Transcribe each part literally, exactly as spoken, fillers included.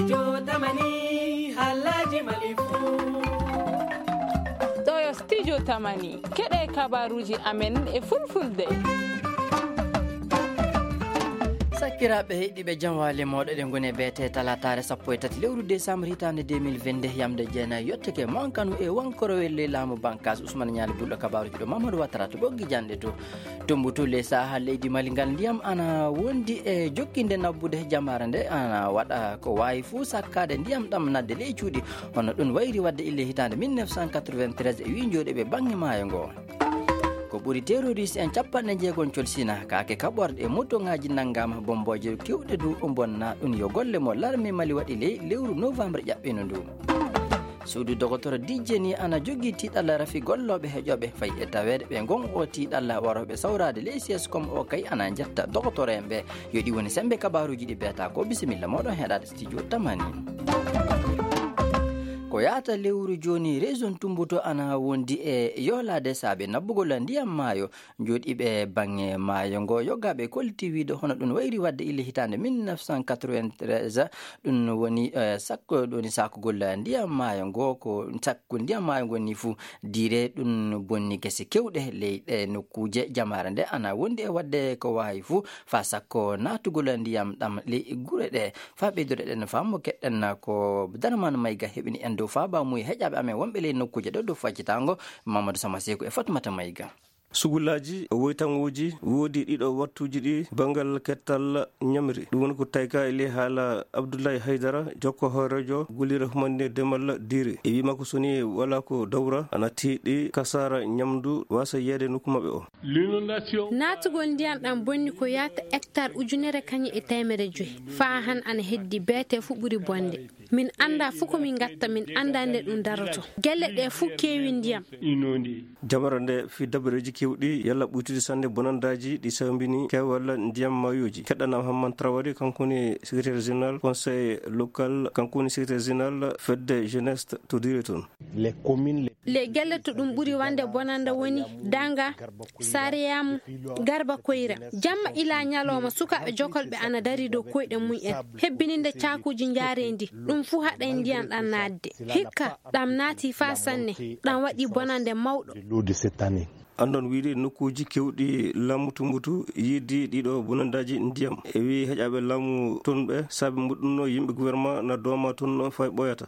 Jotamani, halaji malifu. Ɗo yo studio Tamani, keɗe kabaruji amen e fulfulde. Sakiraaɓe heɗiiɓe, jam waali mooɗo. Eɗen ngoni e beete talataare sappo e tati lewru décembre hitaande deux mille vingt-deux, yamde jeenayi yottake mankanu e wankorowel ley laamu bankas Ousmane Ñaali Bulɗo. Kabaruji ɗo Mamadou Watara to ɓoggi janɗe to. Tumbutu ley saha leydi Mali ngal, ndiyam ana wondi e jokkinde nabbude. Jamaare nde ana waɗa ko waawi fuu sakkaade ndiyam ɗam nadde ley cuuɗi. Hono ɗum wayri waɗde ille hitaande mille neuf cent quatre-vingt-treize e wi jooɗiiɓe baŋŋe maayo ngo. Ko ɓuri terroriste en capanɗe jeegom colsina, kaake kaɓorɗe e motoŋaaji nanngaama, bombooje kewɗe du bonna. Ɗum yo golle mo larme Mali waɗi ley lewru novembre ƴaɓɓino ndu. Suudu dogotoro dijjeni ana jogii tiiɗalla rafi gollooɓe heƴooɓe, fayi e taweede ɓe ngon o tiiɗalla warooɓe sawraade ley C S com o kay ana njetta dogotoro en ɓe. Yo ɗi woni semmbe kabaruuji ɗi beeta ko. Bisimilla mooɗon heɗaade studio Tamani. Ko yaata lewru jooni, région Tumbutu ana wondi e yoolaade saabe nabbugol ndiyam maayo. Jooɗiiɓe baŋŋe maayo ngo, yogaaɓe kolliti wiide hono ɗum wayri waɗde ille hitaande mille neuf cent quatre-vingt-treize, ɗum woni, eh, sakko, ɗum woni sakugol ndiyam maayo ngo, ko sakko ndiyam maayo ngo ni fuu, dire ɗum bonni gese kewɗe ley ɗe nokkuuje. Jamaare nde ana wondi e waɗde ko waawi fuu faa sakko naatugol ndiyam ɗam ley gure ɗe. Faa ɓeydude ɗen faamu, keɗɗen ko Darman Mayga heɓini en dow faabaamuye heƴaaɓe amen wonɓe ley nokkuuje ɗo dow faccitaango, Mamadou Sama Seeku e Fatmata Mayga. Sugulaaji, woytaŋooji, woodi ɗiɗo wattuuji ɗi banngal kettal ñamri. Ɗum woni ko tawka e ley haala Abdoulaye Haydara, jokko hooreejo gollirde humaninde demal diire. E wii makko so ni wala ko dawra, ana tiiɗi kasaara ñamdu wasa yeede nokku maɓɓe o. Naatugol ndiyam ɗam bonni ko yaata hectare ujunere kañe e teemedde joy. Faa han ana heddi beete fuu ɓuri bonde. Min anndaa fuu ko min ngatta, min anndaa nde ɗum daroto. Gelle ɗe fuu keewi ndiyam. Jamaare nde fii dabareeji keewɗi yalla ɓuytude sanne bonandaaji ɗi sawmbini keewal ndiyam maayooji. Keɗɗanam Hamman Traoré, kanko woni secrétaire général conseil local, kanko woni secrétaire général fedde jeunesse to dire toon. Les communes, les Les gelle to ɗum ɓuri wande bonanda woni Danga, Sariyamu, Garba Koyra. Jamma ila ñalawma sukaaɓe jokolɓe ana dari dow koyɗe mum en, hebbininde caakuuji njaareendi. Ɗum fuu haɗay ndiyam ɗam naatde. Hikka, ɗam naati faa sanne. Ɗam waɗi bonande mawɗo. Anndon wiide nokkuuji keewɗi laamu Tumbutu yiidi ɗiɗo bonandaaji ndiyam. E wii heƴaaɓe laamu toon ɓe, saabi muɗum no yimɓe gouvernement na dooma toon no fay ɓooyata.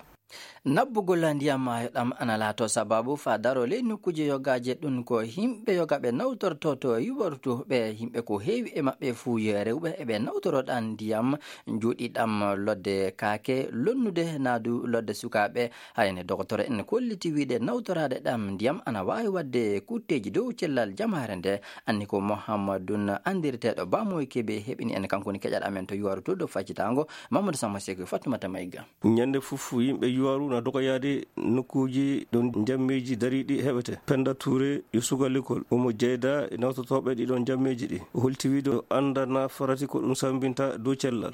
Nabbugol ndiyam maayo ɗam ana laato sababu faa daro ley nokkuuje yogaaje. Ɗum ko yimɓe yogaaɓe nawtorto to yuwartu ɓe, yimɓe ko heewi e maɓɓe fuu yo rewɓe eɓe nawtoro ɗam ndiyam jooɗi ɗam lodde kaake lonnude naadu lodde sukaaɓe. Hayne dogotoro en kolliti wiide nawtoraade ɗam ndiyam ana waawi waɗde kutteeji dow cellal jamaare nde. Anni ko Mohammadun anndirteeɗo Bamoy Kebe heɓini en, kanko woni keƴal amen to yuwaru to dow faccitaango. Mamadou Sama Seeku, Fatmata Mayga. Ñande fof yimɓe yuwaru na dogoyaade nokkuuji ɗo njammeeji dariiɗi heɓete. Penda Touré yo suka l'école, omo jeyda e nawtotooɓe ɗiɗon njammeeji ɗi. O holti wiide o annda na farati ko ɗum sambinta dow cellal.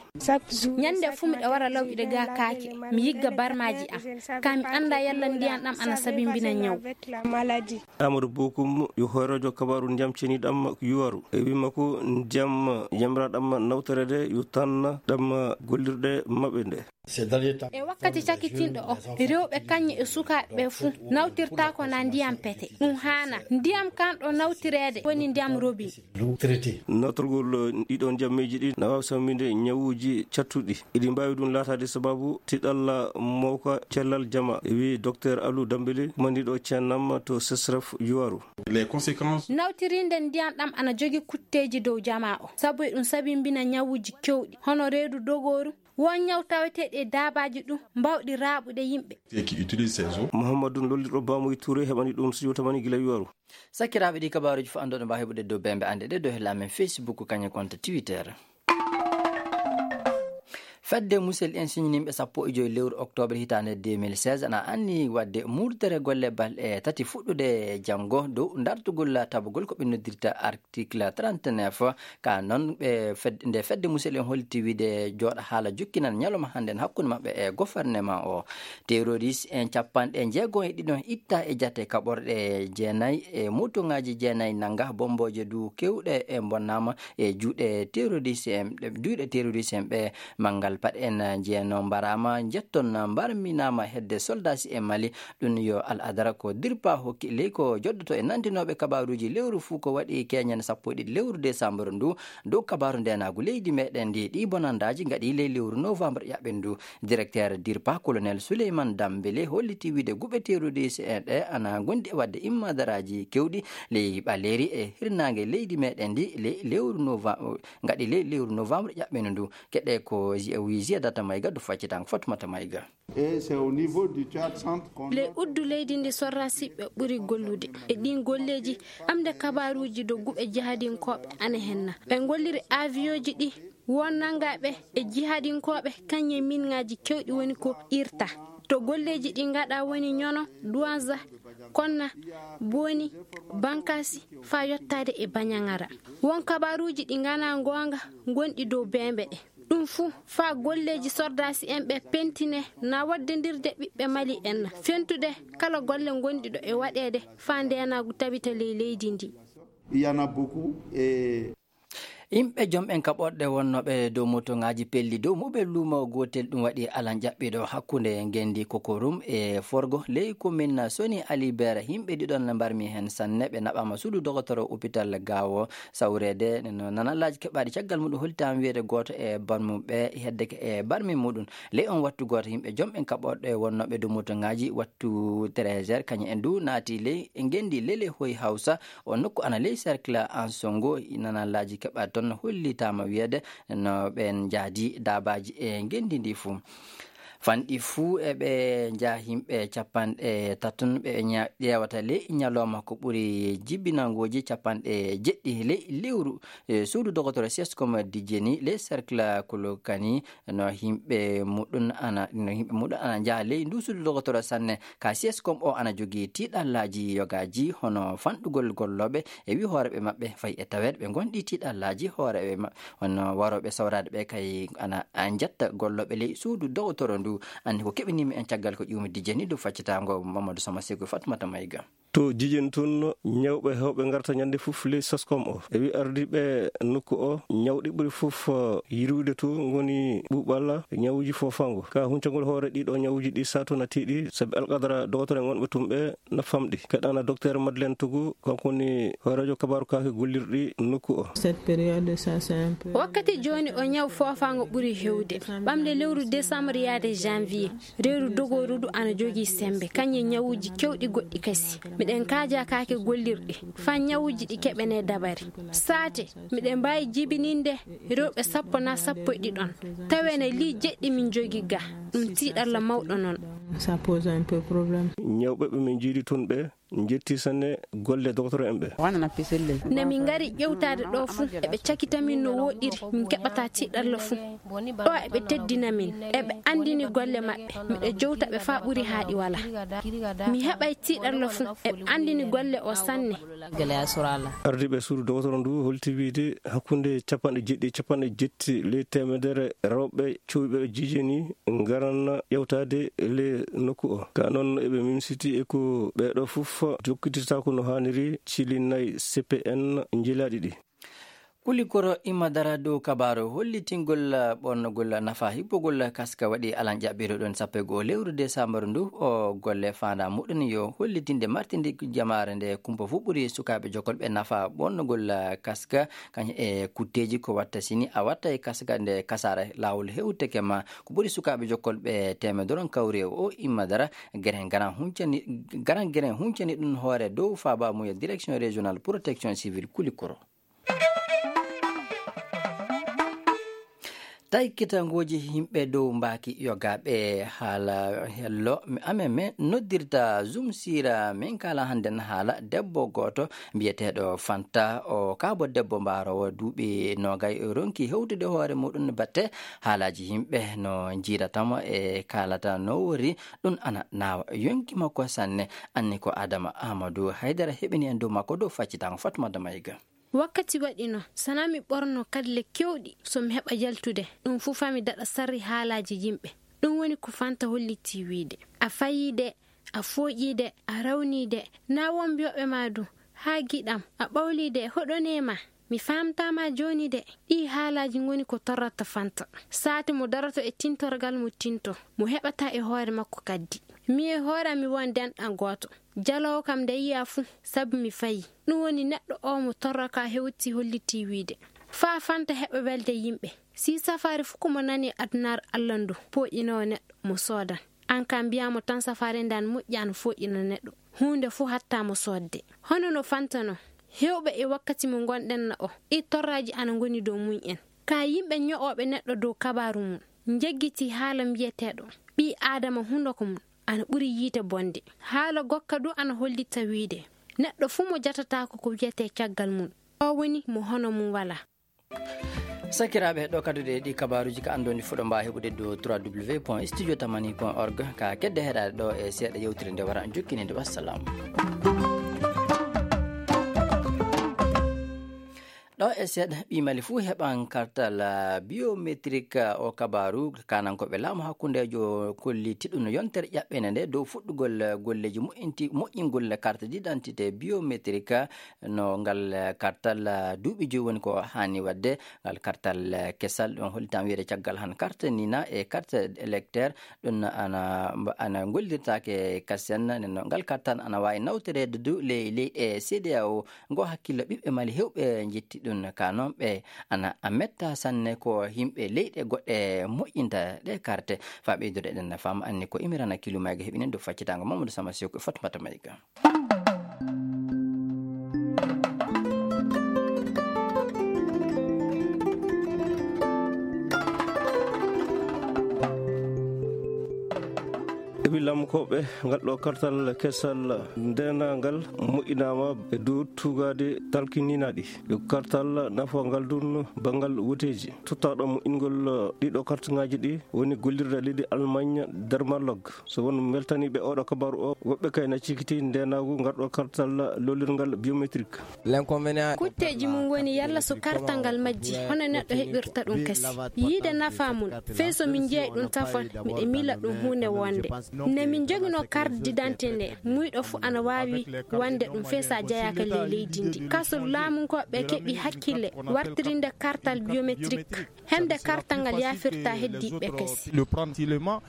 Ñande fuu miɗo wara lawƴude ga kaake, mi yigga barmaaji am. Ka mi annda yalla ndiyan ɗam ana sabimbina ñaw. Amadou Bokum yo hooreejo kabaaru ndiyam ceniɗam yuwaru. E wima ko ndiyam yamiraɗam nawtorede yo tan ɗam gollirɗe maɓɓe nde. E wakkati cakitinɗo o, rewɓe kañum e sukaaɓe ɓe fuu nawtirtaako na ndiyam pete. Ɗum haana. Ndiyam kan ɗo nawtireede woni ndiyam robin. Nawtorgol ɗiɗon njammeeji ɗi na waawi samminde ñawuuji cattuɗi. Eɗi mbaawi ɗum laataade sababu tiɗalla mawka cellal jama, wi Docteur Alou Dambélé, kumandiɗo cennam to Sesref Yuwaru. Nawtirinde ndiyam ɗam ana jogi kutteeji dow jama o, sabu eɗum sabimbina ñawuuji kewɗi, hono reedu dogooru, won ñaw taweteeɗi e daabaaji ɗum mbawɗi raaɓude yimɓe. Muhammadun lollirɗo Bamoy Touré heɓani ɗum studio Tamani gila Yuwaru. Sakiraaɓe, ɗi kabaaruuji fof annduɗo mbaawi heɓude dow bembe annde ɗe dow hella amen Facebook kañum konto Twitter. Fedde Musel en siñininɓe sappo e joy lewru octobre hitaande deux mille seize ana anni waɗde murtere golle balɗe tati fuɗɗude janngo dow dartugol tabugol ko ɓe noddirta article trente-neuf. Ka noon, ɓe fed-, nde fedde Musel en holti wiide jooɗa haala jokkinan ñalawma hannden hakkunde maɓɓe e gouvernement o. Terroriste en capanɗe jeego e ɗiɗon itta e jate kaɓorɗe jeenayi e motoŋaaji jeenayi nannga, bombooje du kewɗe e mbonnaama e juuɗe terroriste en, juuɗe terroriste en ɓe. Manngal Paɗ en, eh, njeeno mbaraama, njetton, eh, mbarminaama hedde soldasi e Mali. Ɗum yo Al Adara ko dirpa hokki ley ko joddoto e nantinooɓe kabaaruuji lewru fuu ko waɗi keñen sappo e ɗiɗi lewru desambur ndu. Dow kabaaru ndeenaagu leydi meɗen ndi, ɗi bonandaaji ngaɗi ley lewru novembre ƴaɓɓen ndu. Directeur dirpa, Colonel Souleymane Dambélé, holliti wiide guɓeteeruuji C N E ana ngondi e waɗde immadaraaji kewɗi ley ɓaleeri e hirnaange leydi meɗen ndi ley lewru nova-, ngaɗi ley lewru novembre ƴaɓɓen ndu. Keɗe ko zi-, wi Ziyadata Mayga, du faccitango Fatmata Mayga. Et c'est au niveau du Tchad Centre qu'on Le a uddu leydi ndi sorra siɓɓe ɓuri gollude. E ɗin golleeji, ɓamde kabaaruuji dow guɓe jihadinkooɓe ana henna. Ɓe ngolliri avion ji ɗi won nangaaɓe e jihadinkooɓe, kañum e min ŋaaji kewɗi woni ko irta. To golleeji ɗi ngaɗa woni ñono, Duwanza, Konna, Boni, Bankasi, faa yottaade e Bañaŋara. Won kabaaruuji ɗi nganaa ngoonga ngonɗi dow beembe ɗe. Ɗum fuu faa golleeji sordaasi en ɓe pentine na waddindirde ɓiɓɓe Mali en na fentude kala golle ngonɗi ɗo e waɗeede faa ndeenaagu tabita ley leydi ndi. Il y en a beaucoup et Yimɓe jom en kaɓorɗe wonnooɓe dow motoŋaaji pelli dow muɓel luumo gootel ɗum waɗi alan jaɓɓiiɗo hakkunde ngenndi Kokorum e Forgo ley komin Soni Alibert. Yimɓe ɗiɗon mbarmi heen sanne, ɓe naɓaama suudu dogotoro opital Gaawo. Sawreede no nanallaaji keɓaaɗi caggal muɗum hollitaama wiyeede gooto e banmuɓe heddeke e barmi muɗum. Ley on wattu gooto yimɓe jom en kaɓorɗe wonnooɓe dow motoŋaaji wattu treize heures, kañum en du naati ley ngenndi Lele Hoy Hawsa, o nokku ana ley cercle Ansongo. Nanallaaji keɓaaɗi toon hollitaama wiyeede no ɓeen njaadi daabaaji e ngenndi ndi fuu. Fanɗi fuu eɓe njaha yimɓe capanɗe taton ɓe ña-, ƴeewata ley ñalawma ko ɓuri jibinangooji capanɗe jeɗɗi ley lewru. E suudu dogotoro Sescom Dijeni ley cercle Kolokani no yimɓe muɗum ana, no yimɓe muɗum ana njaha ley ndu suudu dogotoro sanne. Ka Sescom o ana jogii tiiɗallaaji yogaaji hono fanɗugol gollooɓe e wi hooreeɓe maɓɓe fay e taweede ɓe ngonɗi tiiɗallaaji hooreeɓe maɓɓe. Hono warooɓe sawraade ɓe kay ana, a, njetta gollooɓe ley suudu dogotoro ndu. Anndi ko keɓinimi en caggal ko ƴuumi dijeni dow faccitaango Mamadou Sama Seko Fatmata Mayga. To jijin tun, ñawɓe heewɓe ngarta ñande fof ley Sescom o. E wi ardiiɓe nokku o, ñawɗi ɓuri fof, eh, yirwude to ngoni ɓuuɓalla, ñawuji foofango. Ka huncagol hoore ɗiɗo ñawuji ɗi sato na tiiɗi, sabi alqadara dogotoro en wonɓe tun ɓe na famɗi. Keɗana Docteur Madeleine Togo, kanko woni hooreejo kabaaru kaake gollirɗi nokku o. Cette période, ça, c'est un peu Wakkati jooni o ñaw foofaango ɓuri hewde. Ɓamde lewru décembre yaade janvier, reeru dogooru du ana jogii sembe, kañum e ñawuji kewɗi goɗɗi kasi. Miɗen kaaja kaake gollirɗi, faa ñawuji ɗi keɓene dabari. Saate, miɗen mbaawi jibininde rewɓe sappo naa sappo e ɗiɗon. Taweene lii jeɗɗi min jogii ga, ɗum tiiɗalla mawɗo non. Ça pose un peu problème. Ñawɓe ɓe min jiidi tun ɓe, njetti sanne golle dogotoro en ɓe. Wana na piselle. Nde min ngari ƴewtaade ɗo fuu, eɓe cakita min no woɗɗiri, min keɓata tiiɗalla fuu. Ɗo eɓe teddina min, eɓe anndini golle maɓɓe. Miɗo jowta ɓe faa ɓuri haa ɗi wala. Mi heɓay tiiɗalla fuu, eɓe anndini golle o sanne. Gele a surala. Ardiiɓe suudu dogotoro ndu holti wiide hakkunde capanɗe jeɗɗi e capanɗe jetti ley teemedere rewɓe cuuɓiiɓe jiijeni ngaran ƴewtaade le nokku o. Ka non eɓe mimsiti e ko ɓeeɗo fof jokkititaako no haaniri cili nay C P N njilaaɗi ɗi. Kulikoro Imma Dara dow kabaaru hollitingol ɓornogol nafa hippogol kaska waɗi alan ƴaɓɓiiɗo ɗon sappo e go'o lewru desambur ndu. O golle faandaa muɗum yo hollitinde martinde jamaare nde kumpa fuu ɓuri sukaaɓe jokolɓe nafa ɓornogol kaska kañum e kutteeji ko watta sini a watta e kaska nde kasaara laawol hewteke ma. Ko ɓuri sukaaɓe jokkolɓe teemedoro kawri e o Imma Dara, geren garan huncani, garan geren huncani ɗum hoore dow faaba mum e direction régionale protection civile Kulikoro. Taykitangooji yimɓe dow mbaaki yogaaɓe haala hello amen men noddirta Zoom Sira. Min kaala hannden haala debbo gooto mbiyeteeɗo Fanta. O kaabo debbo mbaaroowo duuɓi noogay ronki hewtude hoore muɗum batte haalaaji yimɓe no njiiratamo e kaalata no wori. Ɗum ana naawa yonki makko sanne. Anni ko Adama Amadou Haydara heɓini en dow makko dow faccitango Fatmata Mayga. Wakkati waɗi no, sana mi ɓorno kalle kewɗi, so mi heɓa yaltude, ɗum fuu faa mi daɗa sarri haalaaji yimɓe. Ɗum woni ko Fanta holliti wiide. A fayii de, a fooƴii de, a rawnii de, naa won mbiyooɓe ma du, haa giɗam, a ɓawlii de, hoɗonee ma. Mi faamtaama jooni de. Ɗii haalaaji ngoni ko torrata Fanta. Saati mo daroto e tintorgal mo tinto, mo heɓata e hoore makko kaddi. Mi e hoore am mi won denɗan gooto. Jaloowo kam nde yiya fuu, sabu mi fayi. Ɗum woni neɗɗo oo mo torra ka hewti hollitii wiide. Faa Fanta heɓa welde yimɓe. Si safaari fuu ko mo nani adunaaru Alla ndu, pooƴinoowo neɗɗo mo soodan. Aan kaa mbiyaa mo tan safaari nde ana moƴƴi ana fooƴina neɗɗo. Huunde fuu hatta mo soodde. Hono no Fanta non. Heewɓe e wakkati mo ngonɗen na o, ɗii torraaji ana ngoni dow mum en. Ka yimɓe ño'ooɓe neɗɗo dow kabaaru mum, njeggitii haala mbiyeteeɗo, ɓii Aadama hundoko mum ana ɓuri yiite bonde. Haala gokka du ana hollita wiide, neɗɗo fuu mo jatataako ko wiyetee caggal mum, o woni mo hono mum walaa. Sakiraaɓe, ɗo kadduɗe ɗi kabaaruuji ka anndoni fuɗo mbaa heɓude dow trois w point studio tamani point org. Ka kedde heɗaade ɗo e seeɗa yewtere nde wara jokkininde. Wassalam. Ɗo e seeɗa, ɓii Mali fuu heɓan kartal, ah, biométrique, ah, o kabaaru. Kaanankooɓe laamu hakkundeejo kolliti ɗum yontere ƴaɓɓende nde dow fuɗɗugol, ah, golleeji moƴƴinti-, moƴƴingol carte d'identité biométrique, ah, no ngal, ah, kartal, ah, duuɓi joyi woni ko haani waɗde. Ngal kartal, ah, kesal ɗon hollitaama wiyeede caggal han carte nina e carte électeur. Ɗum ana, ana ngollirtaake kasen. Nden no ngal kartal ana waawi nawtoreede du ley leyɗe C D A O. Ngo hakkillo ɓiɓɓe Mali heewɓe njetti ɗum, ka non ɓe ana a metta sanne ko yimɓe leyɗe goɗɗe moƴƴinta ɗe karte. Faa ɓeydude ɗen na faama anni ko Imirana Kilumayga heɓinen dow faccitaango Mamadou Sama Sew ko Fatmata Mayga. Eɓi lamkooɓe, ngal ɗo kartal kesal ndeenangal moƴƴinaama e dow tuugaade talkininaaɗi. Ɗo kartal nafa ngal dun banngal woteeji. Tottaaɗo moƴƴingol ɗiɗo kartŋaaji ɗi woni gollirde leydi Allemagne, Dermalog. So won weltaniiɓe oɗo kabaaru o, woɓɓe kay na cikiti ndeenaagu ngal ɗo kartal lollirngal biométrique. Kutteeji mum woni yalla so kartal ngal majji, hono neɗɗo heɓirta ɗum kasi. Yiide nafa mum, fey so min jeyi ɗum tafon, miɗo miila ɗum huunde wonde. Nde min njoginoo carte d'identité nde, muyɗo fuu ana waawi wonde ɗum fey so a jeyaaka ley leydi ndi. Kaso laamunkooɓe keɓi hakkille wartirinde kartal biométrique. Hende kartal ngal yaafirta heddiiɓe kasi.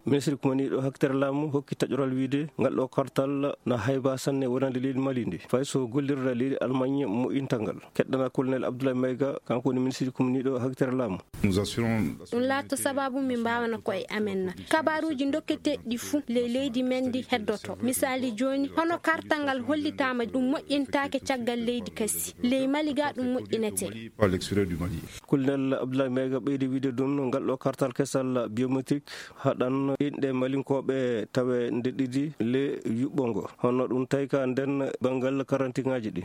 Ministre kumaniiɗo haktere laamu hokki taƴoral wiide ngal ɗo kartal na hayba sanne wonande leydi Mali ndi. Fay so gollirde leydi Allemagne moƴƴinta ngal. Keɗɗana Colonel Abdoulaye Maïga, kanko woni ministre kumaniiɗo haktere laamu. Ɗum laatto sababu min mbaawana ko'e amen na. Kabaaruuji dokketeeɗi ɗi fuu ley leydi men ndi heddoto. Misaali jooni, hono kartal ngal hollitaama ɗum moƴƴintaake caggal leydi kasi. Ley Mali ga ɗum moƴƴinete. Colonel Abdoulaye Maïga ɓeydi wiide ɗum, ngal ɗo kartal kesal biométrique haɗan inɗe Malinkooɓe tawe nde ɗiɗi le yuɓɓo ngo. Hono ɗum tawi ka nden banngal karantiŋaaji ɗi.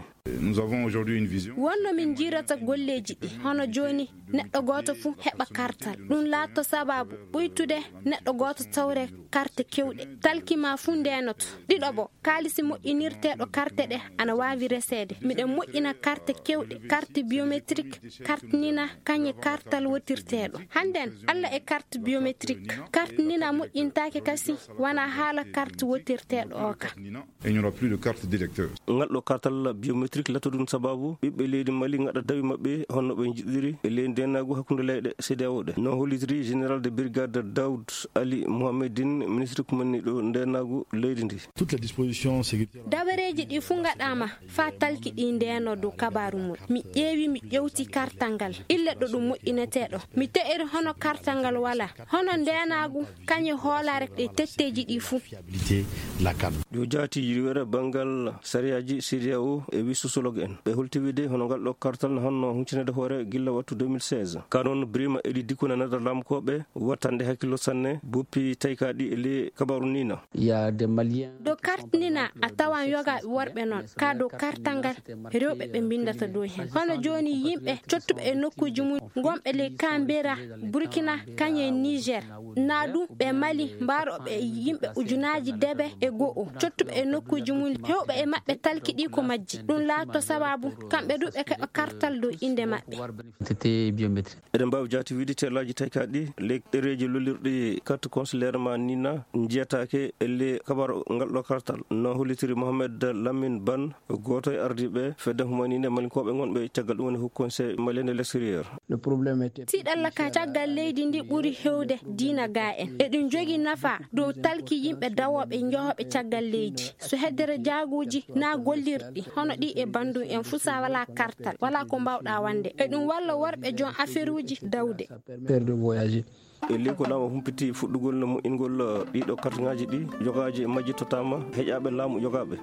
Wonno min jiirata golleeji ɗi, hono jooni neɗɗo gooto fuu heɓa kartal. Ɗum laatto sababu ɓuytude neɗɗo gooto tawre karte kewɗe. Talki ma fuu ndeenoto. Ɗiɗo bo, kaalisi moƴƴinirteeɗo karte ɗe ana waawi reseede. Miɗen moƴƴina karte kewɗe, karte biométrique, karte nina, kañe kartal wotirteeɗo. Hannden, Alla e karte biométrique, karte nina moƴƴintaake kasi, wona haala karte wotirteeɗo o ka. Et il n'y aura plus de carte d'électeur. Ngal ɗo kartal biométrique laatto ɗum sababu ɓiɓɓe leydi Mali ngaɗa dawi maɓɓe honno ɓe njiɗiri e ley ndeenaagu hakkunde leyɗe C D A O ɗe. No hollitiri général de brigade Daoud Ali Mohamedine, ministre kumaniiɗo ndeenaagu leydi ndi. Toutes les dispositions sécuritaires. Dabareeji ɗi fuu ngaɗaama faa talki ɗi ndeeno dow kabaaru mum. Mi ƴeewi, mi ƴewti kartal ngal. Ille ɗo ɗum moƴƴinetee ɗo. Mi te'iri hono kartal ngal walaa. Hono ndeenaagu, kañe hoolaare e tetteeji ɗi fuu. Yo jaati yirwere banngal sariyaaji C D A O e wi sociologue en. Ɓe holti wiide hono ngal ɗo kartal no honno huccitaneede hoore gilla wattu deux mille seize. Ka noon Birima Eli Dikuna nada lamkooɓe wattande hakkillo sanne boppi taykaaɗi e ley kabaaru nina. Dow karte nina a tawan yogaaɓe worɓe noon. Ka dow kartal ngal rewɓe ɓe mbinndata dow heen. Hono jooni yimɓe cottuɓe e nokkuuji Jumu gonɓe ley Kambera, Burkina, kañum e Niger, naa ɗum ɓe Mali, mbaarooɓe e yimɓe ujunaaji debe e go'o, cottuɓe e nokkuuji mum, heewɓe e maɓɓe talki ɗi ko majji. Ɗum laato sababu kamɓe du ɓe keɓa kartal dow innde maɓɓe. Eɗen mbaawi jaati wiide telaaji taykaaɗi ɗi ley ɗereeji lollirɗi carte consulaire ma ni na njiyataake e ley kabar ngal ɗo kartal, no hollitiri Mohamed Lamine Ban, gooto e ardiiɓe fedde humaninde malinkooɓe ngonɓe caggal ɗum woni Haut Conseil malien de l'extérieur. Tiiɗalla ka caggal leydi ndi ɓuri hewde diina ga en. Eɗum jogi nafa dow talki yimɓe dawooɓe jahooɓe caggal leydi. So heddere jaaguuji na gollirɗi, hono ɗi e bandum en fuu sa wala kartal, wala ko mbawɗa wande. Eɗum walla worɓe joom aferuuji dawde. E ley ko laamu humpiti fuɗɗugol no moƴƴingol ɗiɗo kartŋaaji ɗi, jogaaji e majji totaama heƴaaɓe laamu jogaaɓe.